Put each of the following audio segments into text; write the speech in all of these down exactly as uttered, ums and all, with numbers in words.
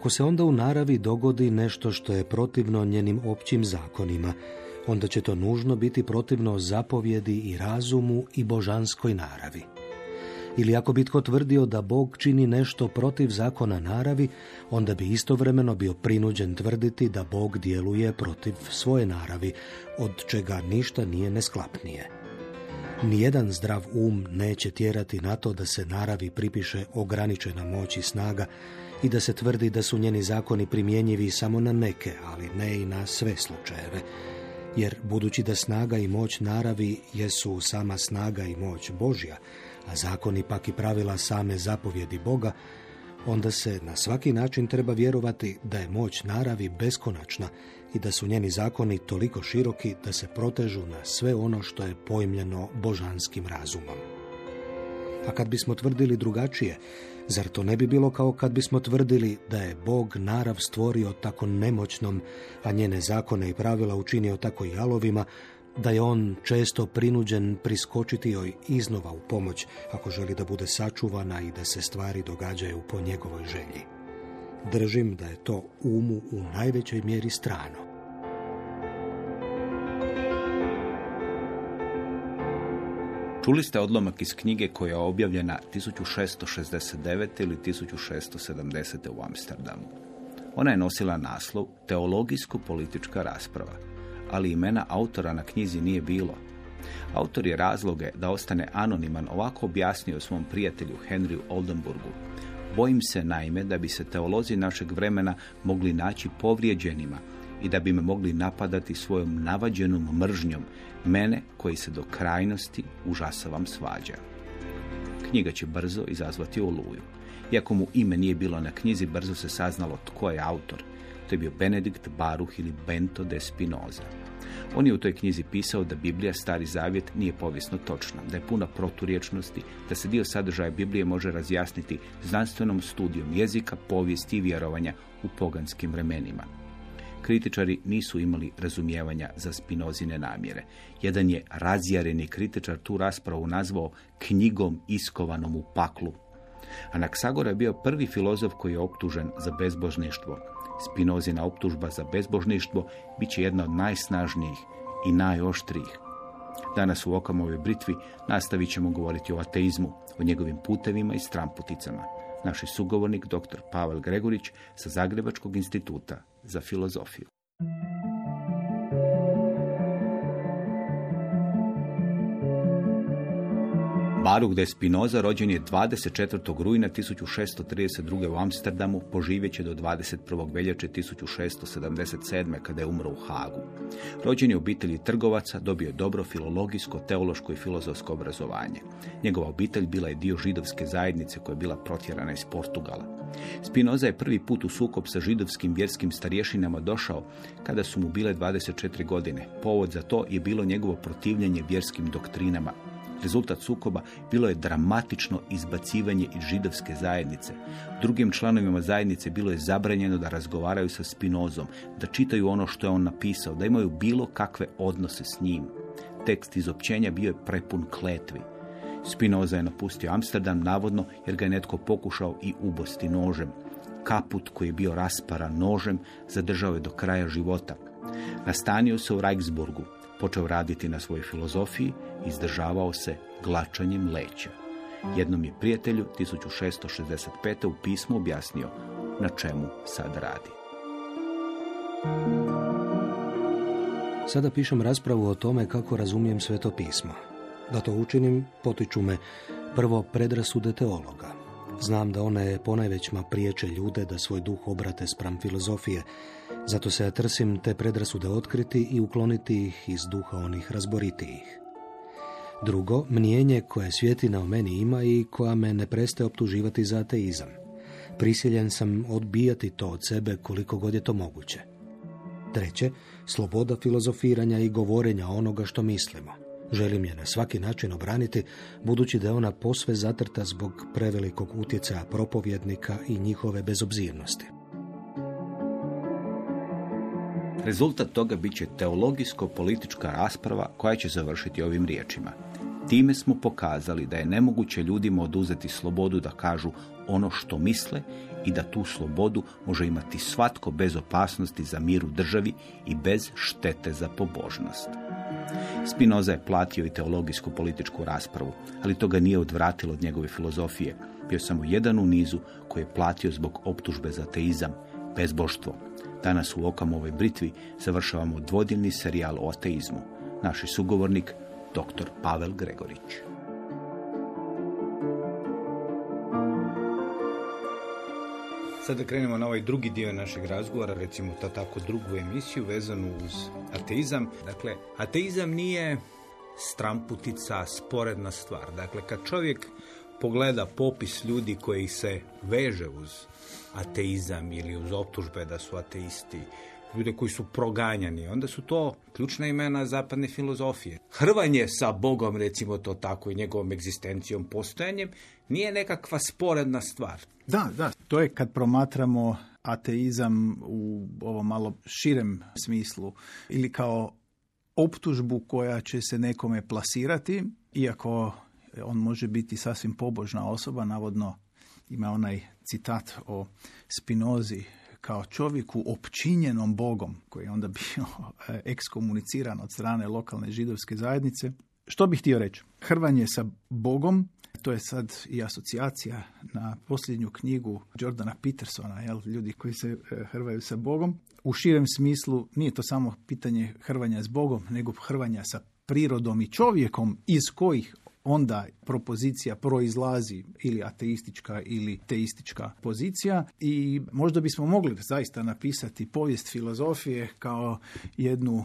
Ako se onda u naravi dogodi nešto što je protivno njenim općim zakonima, onda će to nužno biti protivno zapovjedi i razumu i božanskoj naravi. Ili ako bi tko tvrdio da Bog čini nešto protiv zakona naravi, onda bi istovremeno bio prinuđen tvrditi da Bog djeluje protiv svoje naravi, od čega ništa nije nesklapnije. Nijedan zdrav um neće tjerati na to da se naravi pripiše ograničena moć i snaga i da se tvrdi da su njeni zakoni primjenjivi samo na neke, ali ne i na sve slučajeve. Jer budući da snaga i moć naravi jesu sama snaga i moć Božja, a zakoni pak i pravila same zapovjedi Boga, onda se na svaki način treba vjerovati da je moć naravi beskonačna i da su njeni zakoni toliko široki da se protežu na sve ono što je pojmljeno božanskim razumom. A kad bismo tvrdili drugačije, zar to ne bi bilo kao kad bismo tvrdili da je Bog narav stvorio tako nemoćnom, a njene zakone i pravila učinio tako jalovima, da je on često prinuđen priskočiti joj iznova u pomoć ako želi da bude sačuvana i da se stvari događaju po njegovoj želji. Držim da je to umu u najvećoj mjeri strano. Čuli ste odlomak iz knjige koja je objavljena tisuću šessto šezdeset devete ili tisuću šessto sedamdesete u Amsterdamu. Ona je nosila naslov Teologijsko-politička rasprava, ali imena autora na knjizi nije bilo. Autor je razloge da ostane anoniman ovako objasnio svom prijatelju Henryu Oldenburgu. Bojim se naime da bi se teolozi našeg vremena mogli naći povrijeđenima i da bi me mogli napadati svojom navađenom mržnjom, mene koji se do krajnosti užasavam svađa. Knjiga će brzo izazvati oluju. Iako mu ime nije bilo na knjizi, brzo se saznalo tko je autor. To je bio Benedikt Baruch ili Bento de Spinoza. On je u toj knjizi pisao da Biblija, Stari Zavjet, nije povijesno točna, da je puna proturječnosti, da se dio sadržaja Biblije može razjasniti znanstvenom studijom jezika, povijesti i vjerovanja u poganskim vremenima. Kritičari nisu imali razumijevanja za Spinozine namjere. Jedan je razjareni kritičar tu raspravu nazvao knjigom iskovanom u paklu. Anaksagora je bio prvi filozof koji je optužen za bezbožništvo. Spinozina optužba za bezbožništvo bit će jedna od najsnažnijih i najoštrijih. Danas u Okamovoj britvi nastavit ćemo govoriti o ateizmu, o njegovim putevima i stramputicama. Naš je sugovornik doktor Pavel Gregorić sa Zagrebačkog instituta za filozofiju. Baruch de Spinoza rođen je dvadeset četvrtog rujna tisuću šesto trideset druge u Amsterdamu, poživjet će do dvadeset prvog veljače tisuću šesto sedamdeset sedme kada je umro u Hagu. Rođen je u obitelji trgovaca, dobio je dobro filologijsko, teološko i filozofsko obrazovanje. Njegova obitelj bila je dio židovske zajednice koja je bila protjerana iz Portugala. Spinoza je prvi put u sukob sa židovskim vjerskim starješinama došao kada su mu bile dvadeset četiri godine. Povod za to je bilo njegovo protivljenje vjerskim doktrinama. Rezultat sukoba bilo je dramatično izbacivanje iz židovske zajednice. Drugim članovima zajednice bilo je zabranjeno da razgovaraju sa Spinozom, da čitaju ono što je on napisao, da imaju bilo kakve odnose s njim. Tekst izopćenja bio je prepun kletvi. Spinoza je napustio Amsterdam navodno jer ga je netko pokušao i ubosti nožem. Kaput koji je bio rasparan nožem zadržao je do kraja života. Nastanio se u Reichsburgu, počeo raditi na svojoj filozofiji i izdržavao se glačanjem leća. Jednom je prijatelju tisuću šesto šezdeset pete u pismu objasnio na čemu sad radi. Sada pišem raspravu o tome kako razumijem Sveto pismo. Da to učinim, potiču me prvo predrasude teologa. Znam da one ponajvećma priječe ljude da svoj duh obrate spram filozofije, zato se ja trsim te predrasude otkriti i ukloniti ih iz duha onih razboritijih. Drugo, mnijenje koje svjetina o meni ima i koja me ne prestaje optuživati za ateizam. Prisiljen sam odbijati to od sebe koliko god je to moguće. Treće, sloboda filozofiranja i govorenja onoga što mislimo. Želim je na svaki način obraniti, budući da je ona posve zatrta zbog prevelikog utjecaja propovjednika i njihove bezobzirnosti. Rezultat toga bit će teologijsko-politička rasprava koja će završiti ovim riječima. Time smo pokazali da je nemoguće ljudima oduzeti slobodu da kažu ono što misle i da tu slobodu može imati svatko bez opasnosti za mir u državi i bez štete za pobožnost. Spinoza je platio i teologijsku političku raspravu, ali to ga nije odvratilo od njegove filozofije. Bio samo jedan u nizu koji je platio zbog optužbe za ateizam, bezbožstvo. Danas u Okamovoj britvi završavamo dvodnevni serijal o ateizmu. Naš sugovornik, doktor Pavel Gregorić. Sada krenemo na ovaj drugi dio našeg razgovora, recimo to tako drugu emisiju vezanu uz ateizam. Dakle, ateizam nije stramputica, sporedna stvar. Dakle, kad čovjek pogleda popis ljudi koji se veže uz ateizam ili uz optužbe da su ateisti, ljude koji su proganjani, onda su to ključna imena zapadne filozofije. Hrvanje sa Bogom, recimo to tako, i njegovom egzistencijom, postojanjem, nije nekakva sporedna stvar. Da, da. To je kad promatramo ateizam u ovom malo širem smislu ili kao optužbu koja će se nekome plasirati, iako on može biti sasvim pobožna osoba, navodno ima onaj citat o Spinozi kao čovjeku opčinjenom Bogom, koji je onda bio ekskomuniciran od strane lokalne židovske zajednice. Što bih htio reći? Hrvanje sa Bogom, to je sad i asocijacija na posljednju knjigu Jordana Petersona, jel, ljudi koji se hrvaju sa Bogom. U širem smislu nije to samo pitanje hrvanja s Bogom, nego hrvanja sa prirodom i čovjekom, iz kojih onda propozicija proizlazi ili ateistička ili teistička pozicija, i možda bismo mogli zaista napisati povijest filozofije kao jednu uh,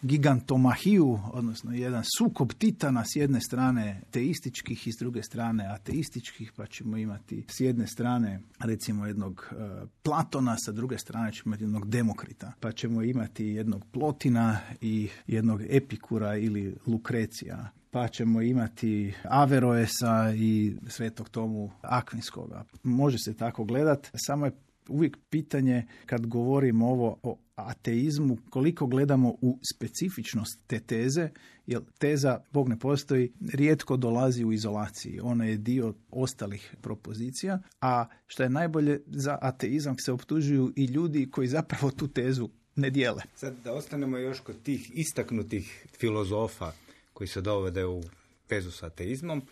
gigantomahiju, odnosno jedan sukob titana, s jedne strane teističkih i s druge strane ateističkih, pa ćemo imati s jedne strane recimo jednog uh, Platona, sa druge strane ćemo imati jednog Demokrita, pa ćemo imati jednog Plotina i jednog Epikura ili Lukrecija, pa ćemo imati Averroesa i Svetog Tomu Akvinskoga. Može se tako gledati, samo je uvijek pitanje kad govorimo ovo o ateizmu, koliko gledamo u specifičnost te teze, jer teza Bog ne postoji rijetko dolazi u izolaciji. Ona je dio ostalih propozicija, a što je najbolje, za ateizam se optužuju i ljudi koji zapravo tu tezu ne dijele. Sad da ostanemo još kod tih istaknutih filozofa koji se dovode u vezu s ateizmom.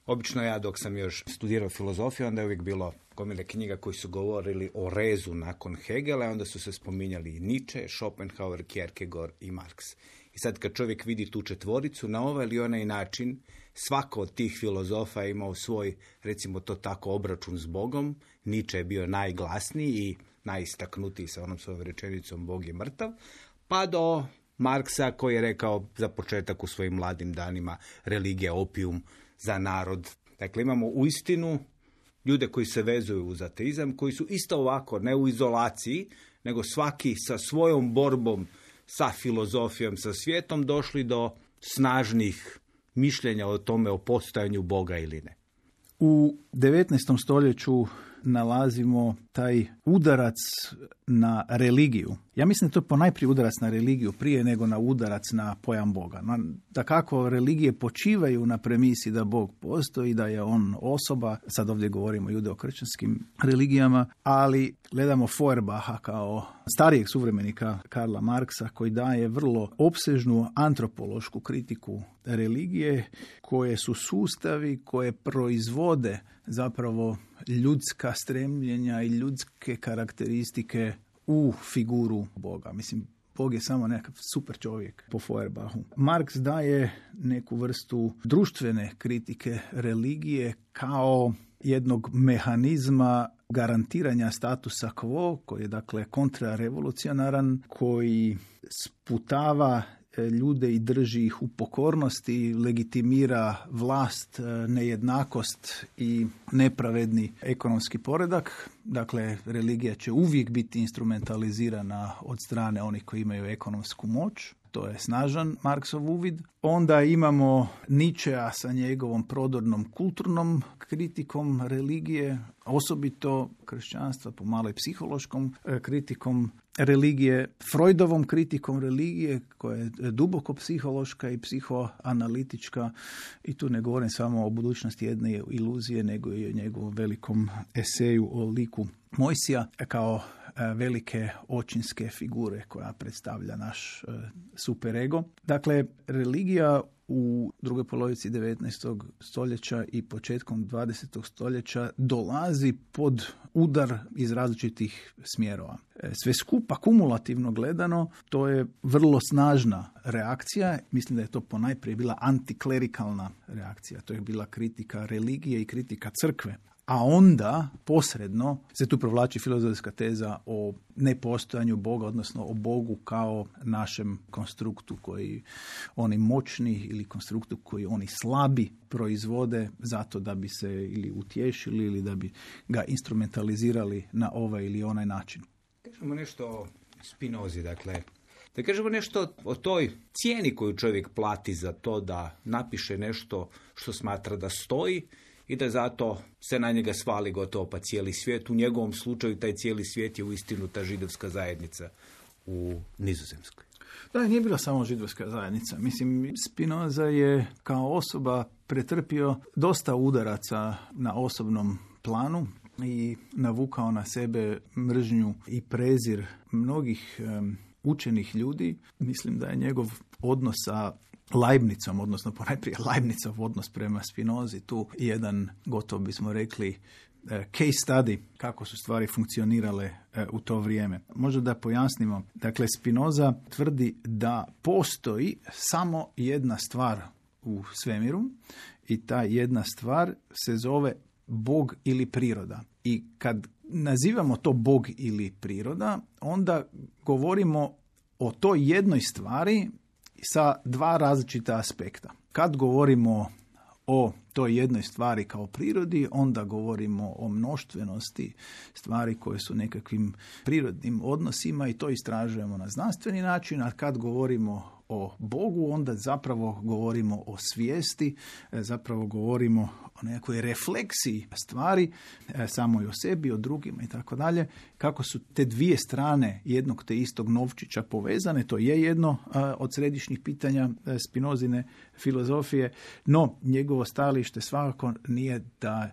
Obično ja dok sam još studirao filozofiju, onda je uvijek bilo gomile knjiga koji su govorili o rezu nakon Hegela, onda su se spominjali i Nietzsche, Schopenhauer, Kierkegaard i Marx. I sad kad čovjek vidi tu četvoricu, na ovaj ili onaj način, svako od tih filozofa je imao svoj, recimo to tako, obračun s Bogom. Nietzsche je bio najglasniji i najistaknutiji sa onom svojom rečenicom Bog je mrtav, pa do Marksa koji je rekao za početak u svojim mladim danima religija opijum za narod. Dakle, imamo uistinu ljude koji se vezuju uz ateizam, koji su isto ovako, ne u izolaciji, nego svaki sa svojom borbom, sa filozofijom, sa svijetom, došli do snažnih mišljenja o tome o postojanju Boga ili ne. U devetnaestom stoljeću nalazimo taj udarac na religiju. Ja mislim da to je ponajprije udarac na religiju prije nego na udarac na pojam Boga. Da kako religije počivaju na premisi da Bog postoji, da je on osoba, sad ovdje govorimo o judeo-kršćanskim religijama, ali gledamo Feuerbacha kao starijeg suvremenika Karla Marksa koji daje vrlo opsežnu antropološku kritiku religije, koje su sustavi koje proizvode zapravo ljudska stremljenja i ljudske karakteristike u figuru Boga. Mislim, Bog je samo nekakav super čovjek po Feuerbachu. Marx daje neku vrstu društvene kritike religije kao jednog mehanizma garantiranja statusa quo, koji je dakle kontrarevolucionaran, koji sputava ljude i drži ih u pokornosti, legitimira vlast, nejednakost i nepravedni ekonomski poredak. Dakle, religija će uvijek biti instrumentalizirana od strane onih koji imaju ekonomsku moć. To je snažan Marksov uvid. Onda imamo Nietzschea sa njegovom prodornom kulturnom kritikom religije, osobito kršćanstva, pomalo i psihološkom kritikom. religije, Freudovom kritikom religije koja je duboko psihološka i psihoanalitička i tu ne govorim samo o budućnosti jedne iluzije, nego i o njegovom velikom eseju o liku Mojsija kao velike očinske figure koja predstavlja naš superego. Dakle, religija u drugoj polovici devetnaestog stoljeća i početkom dvadesetog stoljeća dolazi pod udar iz različitih smjerova. Sve skupa, kumulativno gledano, to je vrlo snažna reakcija. Mislim da je to ponajprije bila antiklerikalna reakcija. To je bila kritika religije i kritika crkve. A onda, posredno, se tu provlači filozofska teza o nepostojanju Boga, odnosno o Bogu kao našem konstruktu koji oni moćni ili konstruktu koji oni slabi proizvode zato da bi se ili utješili ili da bi ga instrumentalizirali na ovaj ili onaj način. Kažemo nešto o Spinozi, dakle, da kažemo nešto o toj cijeni koju čovjek plati za to da napiše nešto što smatra da stoji i da zato se na njega svali gotovo pa cijeli svijet. U njegovom slučaju taj cijeli svijet je uistinu ta židovska zajednica u Nizozemskoj. Da, nije bila samo židovska zajednica. Mislim, Spinoza je kao osoba pretrpio dosta udaraca na osobnom planu i navukao na sebe mržnju i prezir mnogih um, učenih ljudi. Mislim da je njegov odnos sa Leibnicom, odnosno ponajprije Leibnicov odnos prema Spinozi, tu jedan, gotovo bismo rekli, case study kako su stvari funkcionirale u to vrijeme. Možda da pojasnimo. Dakle, Spinoza tvrdi da postoji samo jedna stvar u svemiru i ta jedna stvar se zove Bog ili priroda. I kad nazivamo to Bog ili priroda, onda govorimo o toj jednoj stvari sa dva različita aspekta. Kad govorimo o toj jednoj stvari kao prirodi, onda govorimo o mnoštvenosti stvari koje su nekakvim prirodnim odnosima i to istražujemo na znanstveni način, a kad govorimo o Bogu, onda zapravo govorimo o svijesti, zapravo govorimo o nekoj refleksiji stvari, samoj o sebi, o drugima i tako dalje. Kako su te dvije strane jednog te istog novčića povezane, to je jedno od središnjih pitanja Spinozine filozofije, no njegovo stajalište svakako nije da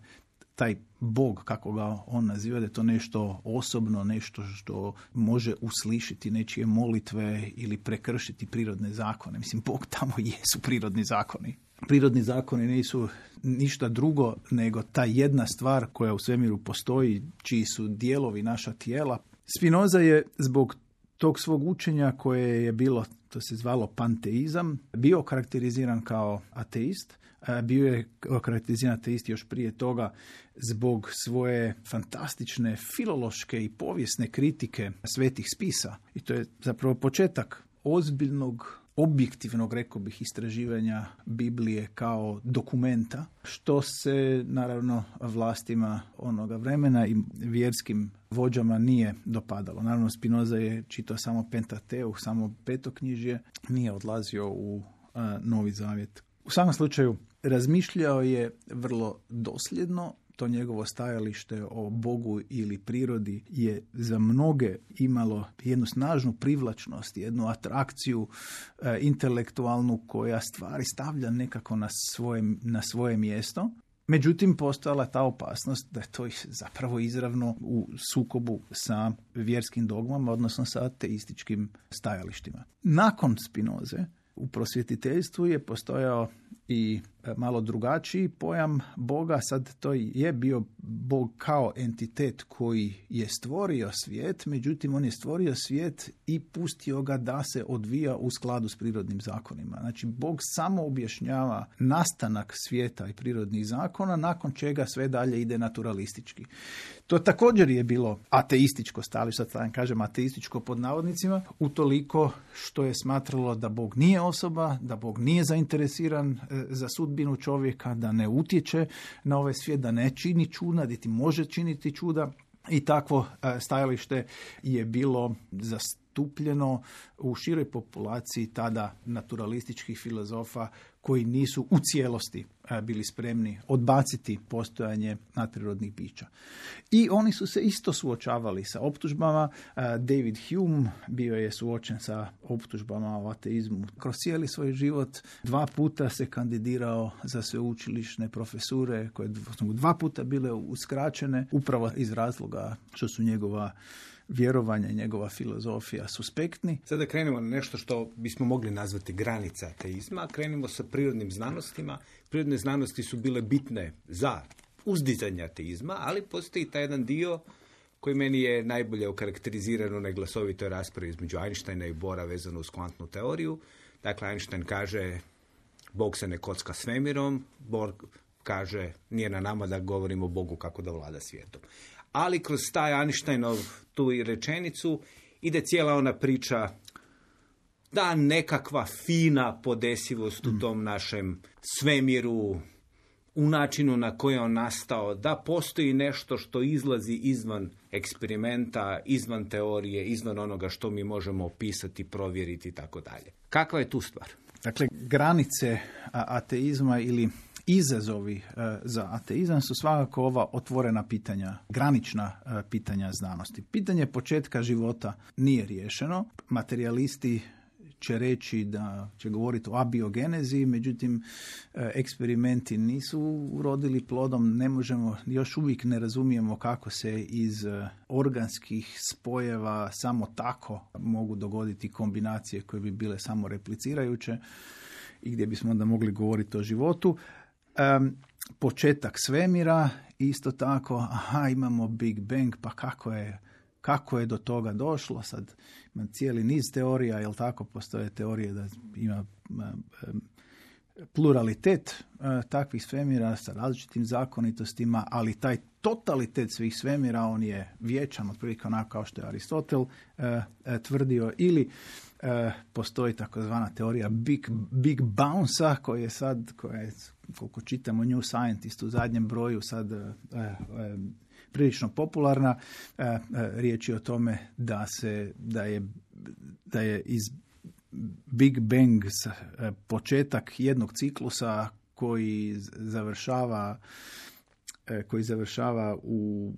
taj Bog, kako ga on naziva, da je to nešto osobno, nešto što može uslišiti nečije molitve ili prekršiti prirodne zakone. Mislim, Bog tamo jesu prirodni zakoni. Prirodni zakoni nisu ništa drugo nego ta jedna stvar koja u svemiru postoji, čiji su dijelovi naša tijela. Spinoza je zbog tog svog učenja koje je bilo, to se zvalo panteizam, bio karakteriziran kao ateist. Bio je karakteriziran ateist još prije toga zbog svoje fantastične filološke i povijesne kritike svetih spisa. I to je zapravo početak ozbiljnog, objektivnog, rekao bih, istraživanja Biblije kao dokumenta, što se naravno vlastima onoga vremena i vjerskim vođama nije dopadalo. Naravno, Spinoza je čitao samo Pentateuh, samo petoknjižje, nije odlazio u a, Novi Zavjet. U svakom slučaju, razmišljao je vrlo dosljedno. To njegovo stajalište o Bogu ili prirodi je za mnoge imalo jednu snažnu privlačnost, jednu atrakciju e, intelektualnu koja stvari stavlja nekako na svoje, na svoje mjesto. Međutim, postojala ta opasnost da je to zapravo izravno u sukobu sa vjerskim dogmama, odnosno sa ateističkim stajalištima. Nakon Spinoze u prosvjetiteljstvu je postojao i malo drugačiji pojam Boga. Sad to je bio Bog kao entitet koji je stvorio svijet, međutim on je stvorio svijet i pustio ga da se odvija u skladu s prirodnim zakonima. Znači, Bog samo objašnjava nastanak svijeta i prirodnih zakona, nakon čega sve dalje ide naturalistički. To također je bilo ateističko stajalište, sad kažem ateističko pod navodnicima, utoliko što je smatralo da Bog nije osoba, da Bog nije zainteresiran za sudbinu čovjeka, da ne utječe na ovaj svijet, da ne čini čuda, niti može činiti čuda. I takvo stajalište je bilo zastupljeno u široj populaciji tada naturalističkih filozofa koji nisu u cijelosti bili spremni odbaciti postojanje nadprirodnih bića. I oni su se isto suočavali sa optužbama. David Hume bio je suočen sa optužbama o ateizmu kroz cijeli svoj život. Dva puta se kandidirao za sveučilišne profesure koje su mu dva puta bile uskraćene upravo iz razloga što su njegova vjerovanja i njegova filozofija suspektni. Sada krenemo na nešto što bismo mogli nazvati granica ateizma. Krenemo sa prirodnim znanostima. Prirodne znanosti su bile bitne za uzdizanje ateizma, ali postoji taj jedan dio koji meni je najbolje okarakteriziran u neglasovitoj raspravi između Einsteina i Bohra vezano uz kvantnu teoriju. Dakle, Einstein kaže Bog se ne kocka svemirom, Bohr kaže nije na nama da govorimo o Bogu kako da vlada svijetom. Ali kroz taj Einsteinov tu i rečenicu ide cijela ona priča da nekakva fina podesivost u tom našem svemiru, u načinu na koji je on nastao, da postoji nešto što izlazi izvan eksperimenta, izvan teorije, izvan onoga što mi možemo opisati, provjeriti i tako dalje. Kakva je tu stvar? Dakle, granice ateizma ili izazovi za ateizam su svakako ova otvorena pitanja, granična pitanja znanosti. Pitanje početka života nije riješeno. Materijalisti će reći da će govoriti o abiogenezi, međutim eksperimenti nisu urodili plodom, ne možemo, još uvijek ne razumijemo kako se iz organskih spojeva samo tako mogu dogoditi kombinacije koje bi bile samo replicirajuće i gdje bismo onda mogli govoriti o životu. Um, početak svemira, isto tako, aha, imamo Big Bang, pa kako je, kako je do toga došlo? Sad ima cijeli niz teorija, jel tako, postoje teorije da ima um, pluralitet uh, takvih svemira sa različitim zakonitostima, ali taj totalitet svih svemira, on je vječan, otprilike onako kao što je Aristotel uh, uh, tvrdio, ili uh, postoji takozvana teorija Big, Big Bounce-a, koja je sad, koja je, koliko čitamo New Scientist u zadnjem broju, sad uh, uh, prilično popularna. Uh, uh, riječ je o tome da se, da je, da je iz Big Bang početak jednog ciklusa koji završava koji završava u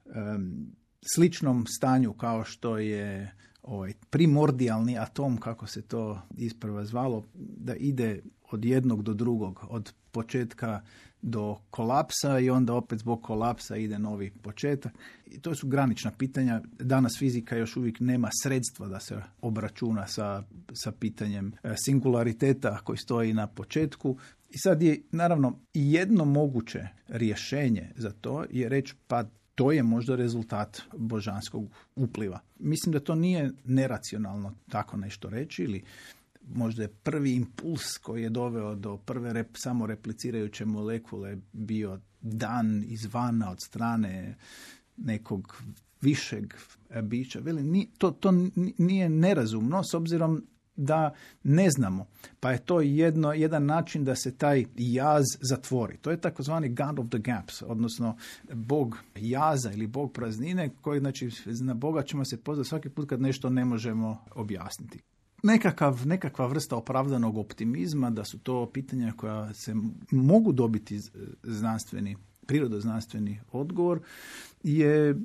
um, sličnom stanju kao što je ovaj primordijalni atom, kako se to isprva zvalo, da ide od jednog do drugog, od početka do kolapsa i onda opet zbog kolapsa ide novi početak. I to su granična pitanja. Danas fizika još uvijek nema sredstva da se obračuna sa, sa pitanjem singulariteta koji stoji na početku. I sad je naravno jedno moguće rješenje za to je reći pa to je možda rezultat božanskog upliva. Mislim da to nije neracionalno tako nešto reći, ili možda je prvi impuls koji je doveo do prve rep, samo replicirajuće molekule bio dan izvana od strane nekog višeg bića. Veli, to, to nije nerazumno s obzirom da ne znamo. Pa je to jedno, jedan način da se taj jaz zatvori. To je takozvani God of the Gaps, odnosno Bog jaza ili Bog praznine, koji, znači, na Boga ćemo se pozvati svaki put kad nešto ne možemo objasniti. Nekakav, nekakva vrsta opravdanog optimizma da su to pitanja koja se mogu dobiti znanstveni, prirodoznanstveni odgovor je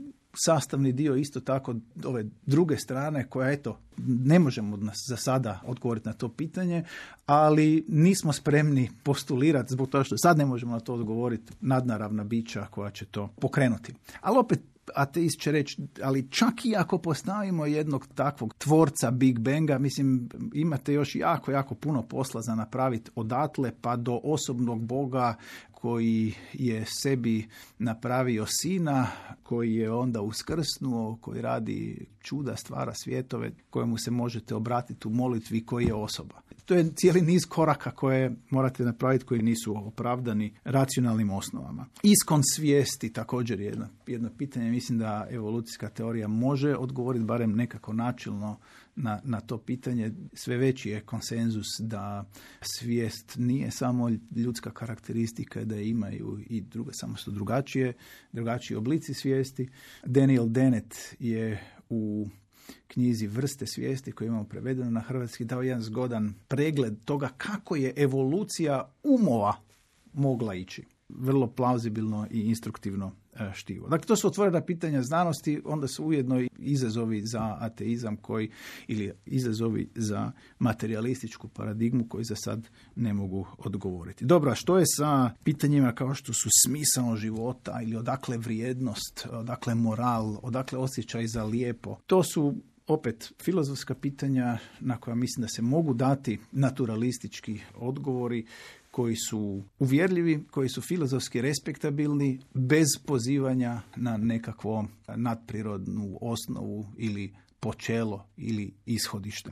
sastavni dio isto tako ove druge strane koja, eto, ne možemo za sada odgovoriti na to pitanje, ali nismo spremni postulirati zbog toga što sad ne možemo na to odgovoriti nadnaravna bića koja će to pokrenuti. Ali opet ateist će reći, ali čak i ako postavimo jednog takvog tvorca Big Banga, mislim, imate još jako, jako puno posla za napraviti odatle pa do osobnog Boga koji je sebi napravio sina, koji je onda uskrsnuo, koji radi čuda, stvara svjetove, kojemu se možete obratiti u molitvi, koji je osoba. To je cijeli niz koraka koje morate napraviti koji nisu opravdani racionalnim osnovama. Iskon svijesti također je jedno, jedno pitanje. Mislim da evolucijska teorija može odgovoriti barem nekako načelno na, na to pitanje. Sve veći je konsenzus da svijest nije samo ljudska karakteristika, da je imaju i druga, samo su drugačije, drugačiji oblici svijesti. Daniel Dennett je u knjizi Vrste svijesti koju imamo prevedeno na hrvatski dao jedan zgodan pregled toga kako je evolucija umova mogla ići. Vrlo plauzibilno i instruktivno štivo. Dakle, to su otvorena pitanja znanosti, onda su ujedno i izazovi za ateizam koji, ili izazovi za materialističku paradigmu koji za sad ne mogu odgovoriti. Dobro, a što je sa pitanjima kao što su smisao života ili odakle vrijednost, odakle moral, odakle osjećaj za lijepo? To su opet filozofska pitanja na koja mislim da se mogu dati naturalistički odgovori koji su uvjerljivi, koji su filozofski respektabilni, bez pozivanja na nekakvo nadprirodnu osnovu ili počelo ili ishodište.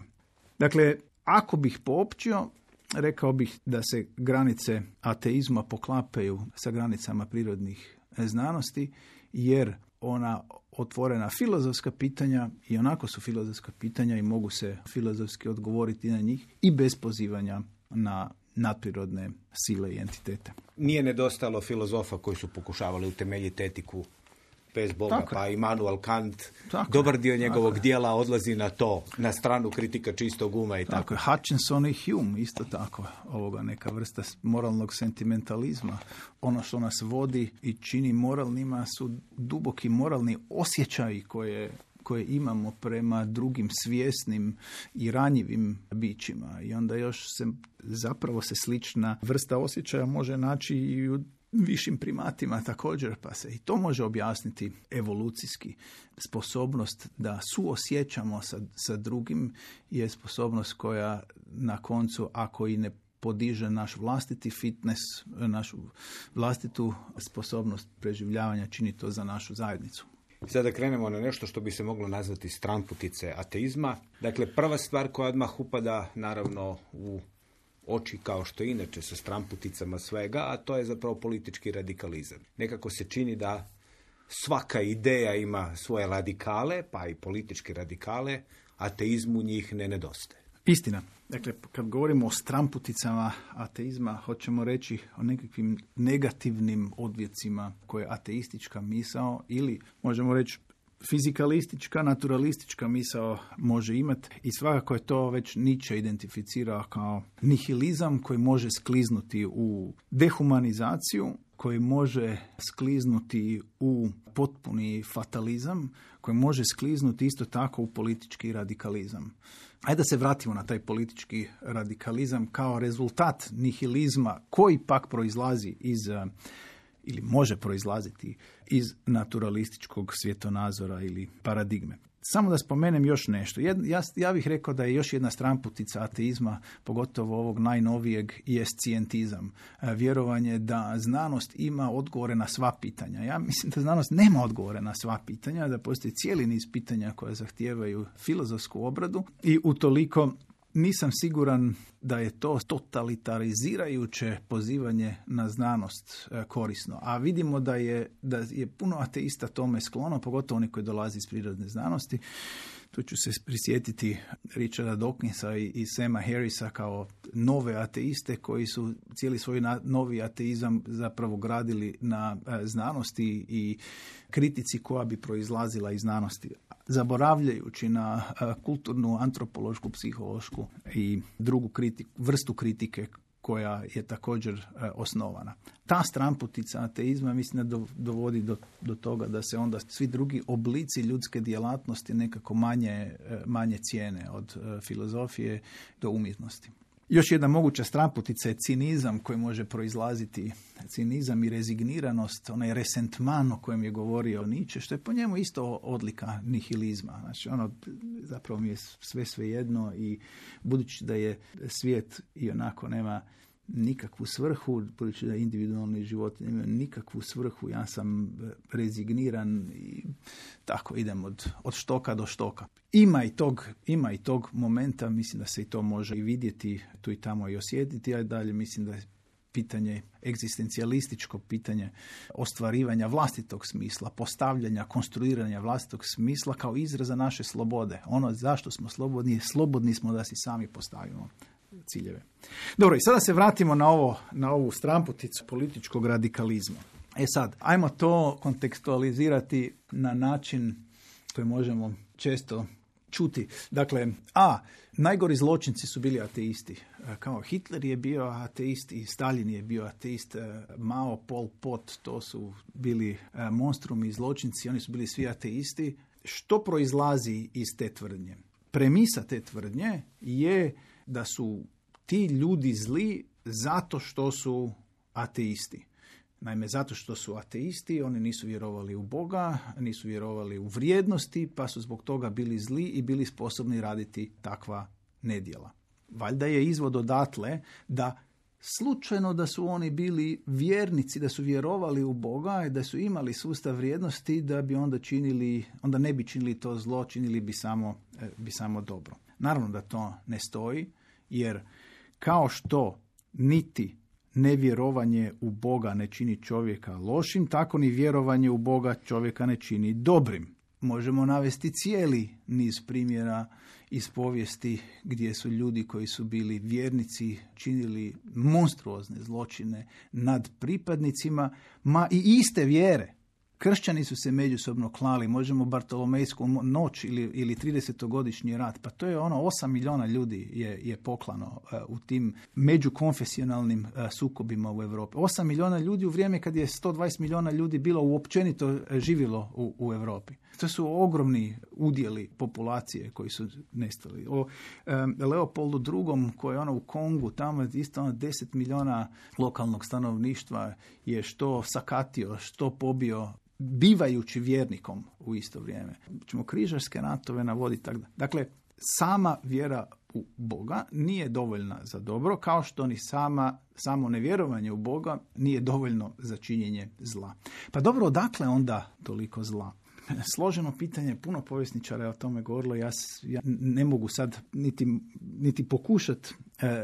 Dakle, ako bih poopćio, rekao bih da se granice ateizma poklapaju sa granicama prirodnih znanosti, jer ona otvorena filozofska pitanja i onako su filozofska pitanja i mogu se filozofski odgovoriti na njih i bez pozivanja na nadprirodne sile i entitete. Nije nedostalo filozofa koji su pokušavali utemeljiti etiku bez Boga, tako pa Immanuel Kant, tako dobar dio njegovog tako dijela odlazi na to, na stranu kritika čistog uma i tako. Tako je, Hutchinson i Hume isto tako, ovoga neka vrsta moralnog sentimentalizma. Ono što nas vodi i čini moralnima su duboki moralni osjećaji koje koje imamo prema drugim svjesnim i ranjivim bićima. I onda još se zapravo se slična vrsta osjećaja može naći i u višim primatima također, pa se i to može objasniti evolucijski. Sposobnost da suosjećamo sa, sa drugim je sposobnost koja na koncu, ako i ne podiže naš vlastiti fitness, našu vlastitu sposobnost preživljavanja, čini to za našu zajednicu. Sada krenemo na nešto što bi se moglo nazvati stranputice ateizma. Dakle, prva stvar koja odmah upada naravno u oči kao što inače sa stranputicama svega, a to je zapravo politički radikalizam. Nekako se čini da svaka ideja ima svoje radikale, pa i političke radikale, ateizmu njih ne nedostaje. Istina. Dakle, kad govorimo o stramputicama ateizma, hoćemo reći o nekakvim negativnim odvjecima koje ateistička misao ili, možemo reći, fizikalistička, naturalistička misao može imati i svakako je to već Nietzsche identificirao kao nihilizam koji može skliznuti u dehumanizaciju, koji može skliznuti u potpuni fatalizam, koji može skliznuti isto tako u politički radikalizam. Ajde da se vratimo na taj politički radikalizam kao rezultat nihilizma koji pak proizlazi iz, ili može proizlaziti iz naturalističkog svjetonazora ili paradigme. Samo da spomenem još nešto. Ja, ja bih rekao da je još jedna stranputica ateizma, pogotovo ovog najnovijeg, je scijentizam. Vjerovanje da znanost ima odgovore na sva pitanja. Ja mislim da znanost nema odgovore na sva pitanja, da postoji cijeli niz pitanja koje zahtijevaju filozofsku obradu i utoliko nisam siguran da je to totalitarizirajuće pozivanje na znanost korisno. A vidimo da je, da je puno ateista tome sklono, pogotovo oni koji dolazi iz prirodne znanosti. Tu ću se prisjetiti Richarda Dawkinsa i, i Sama Harrisa kao nove ateiste koji su cijeli svoj na, novi ateizam zapravo gradili na e, znanosti i kritici koja bi proizlazila iz znanosti, zaboravljajući na e, kulturnu, antropološku, psihološku i drugu kritiku, vrstu kritike koja je također e, osnovana. Ta stranputica ateizma mislim da dovodi do, do toga da se onda svi drugi oblici ljudske djelatnosti nekako manje, e, manje cijene od e, filozofije do umjetnosti. Još jedna moguća stranputica je cinizam koji može proizlaziti, cinizam i rezigniranost, onaj resentman o kojem je govorio Nietzsche, što je po njemu isto odlika nihilizma. Znači, ono, zapravo mi je sve svejedno i budući da je svijet i onako nema nikakvu svrhu, budući da individualni život nema nikakvu svrhu, ja sam rezigniran i tako idem od, od štoka do štoka. Ima i tog, ima i tog momenta, mislim da se i to može i vidjeti, tu i tamo i osjetiti, a dalje mislim da je pitanje, egzistencijalističko pitanje ostvarivanja vlastitog smisla, postavljanja, konstruiranja vlastitog smisla kao izraza naše slobode. Ono zašto smo slobodni, slobodni smo da si sami postavimo ciljeve. Dobro, i sada se vratimo na, ovo, na ovu stramputicu političkog radikalizma. E sad, ajmo to kontekstualizirati na način koji možemo često čuti. Dakle, a, najgori zločinci su bili ateisti. Kao Hitler je bio ateist i Stalin je bio ateist, Mao, Pol Pot, to su bili monstrumi i zločinci, oni su bili svi ateisti. Što proizlazi iz te tvrdnje? Premisa te tvrdnje je da su ti ljudi zli zato što su ateisti. Naime, zato što su ateisti, oni nisu vjerovali u Boga, nisu vjerovali u vrijednosti, pa su zbog toga bili zli i bili sposobni raditi takva nedjela. Valjda je izvod odatle da slučajno da su oni bili vjernici, da su vjerovali u Boga i da su imali sustav vrijednosti, da bi onda činili, onda ne bi činili to zlo, činili bi samo, bi samo dobro. Naravno da to ne stoji, jer kao što niti nevjerovanje u Boga ne čini čovjeka lošim, tako ni vjerovanje u Boga čovjeka ne čini dobrim. Možemo navesti cijeli niz primjera iz povijesti gdje su ljudi koji su bili vjernici činili monstruozne zločine nad pripadnicima, ma i iste vjere. Kršćani su se međusobno klali, možemo Bartolomejsku noć ili, ili tridesetogodišnji rat, pa to je ono osam milijuna ljudi je, je poklano uh, u tim međukonfesionalnim uh, sukobima u Europi. osam milijuna ljudi u vrijeme kad je sto dvadeset milijuna ljudi bilo uopćenito živjelo u, u Europi. To su ogromni udjeli populacije koji su nestali. O um, Leopoldu drugom koji je ono u Kongu, tamo isto ono deset milijuna lokalnog stanovništva je što sakatio, što pobio, bivajući vjernikom u isto vrijeme. Ćemo križarske ratove navoditi tako da. Dakle, sama vjera u Boga nije dovoljna za dobro, kao što ni sama, samo nevjerovanje u Boga nije dovoljno za činjenje zla. Pa dobro, odakle onda toliko zla? Složeno pitanje, puno povjesničara je o tome govorilo, ja, ja ne mogu sad niti, niti pokušati e,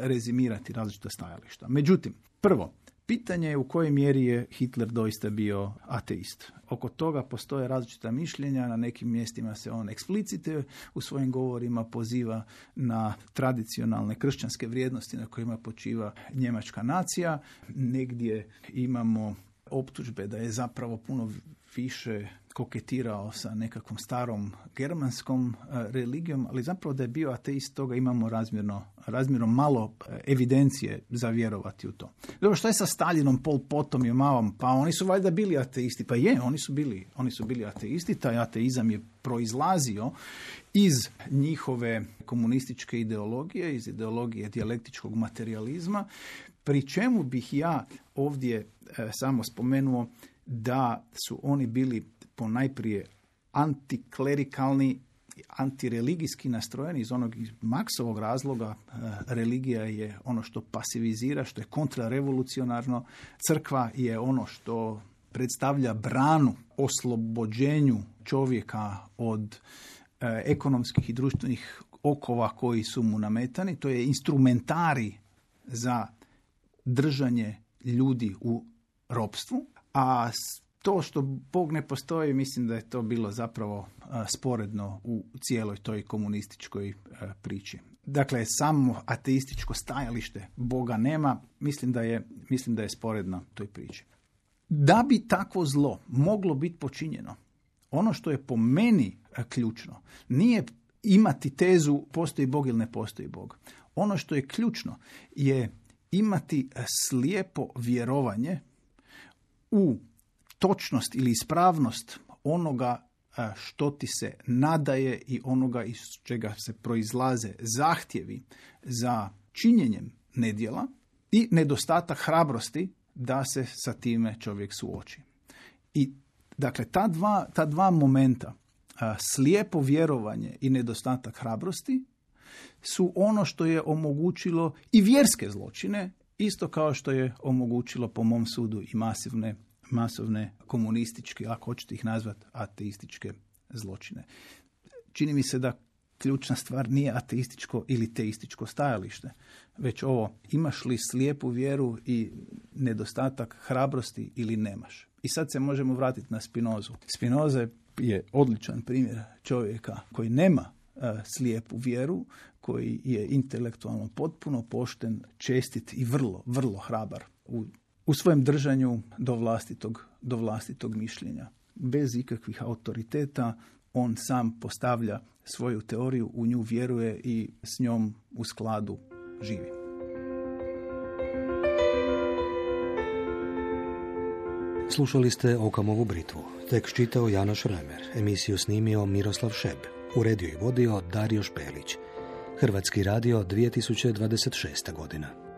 rezimirati različita stajališta. Međutim, prvo, pitanje je u kojoj mjeri je Hitler doista bio ateist. Oko toga postoje različita mišljenja, na nekim mjestima se on eksplicite u svojim govorima poziva na tradicionalne kršćanske vrijednosti na kojima počiva njemačka nacija. Negdje imamo optužbe da je zapravo puno više koketirao sa nekakvom starom germanskom religijom, ali zapravo da je bio ateist, toga imamo razmjerno, razmjerno malo evidencije za vjerovati u to. Dobro, što je sa Stalinom, Pol Potom i Maom? Pa oni su valjda bili ateisti. Pa je, oni su bili, oni su bili ateisti. Taj ateizam je proizlazio iz njihove komunističke ideologije, iz ideologije dijalektičkog materijalizma, pri čemu bih ja ovdje e, samo spomenuo da su oni bili ponajprije antiklerikalni, antireligijski nastrojeni iz onog Marksovog razloga. E, religija je ono što pasivizira, što je kontrarevolucionarno. Crkva je ono što predstavlja branu oslobođenju čovjeka od e, ekonomskih i društvenih okova koji su mu nametani. To je instrumentari za držanje ljudi u ropstvu, a to što Bog ne postoji, mislim da je to bilo zapravo a, sporedno u cijeloj toj komunističkoj a, priči. Dakle, samo ateističko stajalište Boga nema, mislim da je, mislim da je sporedno toj priči. Da bi takvo zlo moglo biti počinjeno, ono što je po meni a, ključno, nije imati tezu postoji Bog ili ne postoji Bog. Ono što je ključno je imati slijepo vjerovanje u točnost ili ispravnost onoga što ti se nadaje i onoga iz čega se proizlaze zahtjevi za činjenjem nedjela i nedostatak hrabrosti da se sa time čovjek suoči. I dakle, ta dva, ta dva momenta, slijepo vjerovanje i nedostatak hrabrosti, su ono što je omogućilo i vjerske zločine, isto kao što je omogućilo po mom sudu i masivne, masovne komunističke, ako hoćete ih nazvati, ateističke zločine. Čini mi se da ključna stvar nije ateističko ili teističko stajalište, već ovo, imaš li slijepu vjeru i nedostatak hrabrosti ili nemaš. I sad se možemo vratiti na Spinozu. Spinoza je odličan primjer čovjeka koji nema slijepu vjeru, koji je intelektualno potpuno pošten, čestit i vrlo, vrlo hrabar u, u svojem držanju do vlastitog, do vlastitog mišljenja. Bez ikakvih autoriteta on sam postavlja svoju teoriju, u nju vjeruje i s njom u skladu živi. Slušali ste Okamovu britvu. Tekst čitao Janoš Remer, emisiju snimio Miroslav Šeb, uredio i vodio Dario Špelić. Hrvatski radio dvije tisuće dvadeset šesta godina.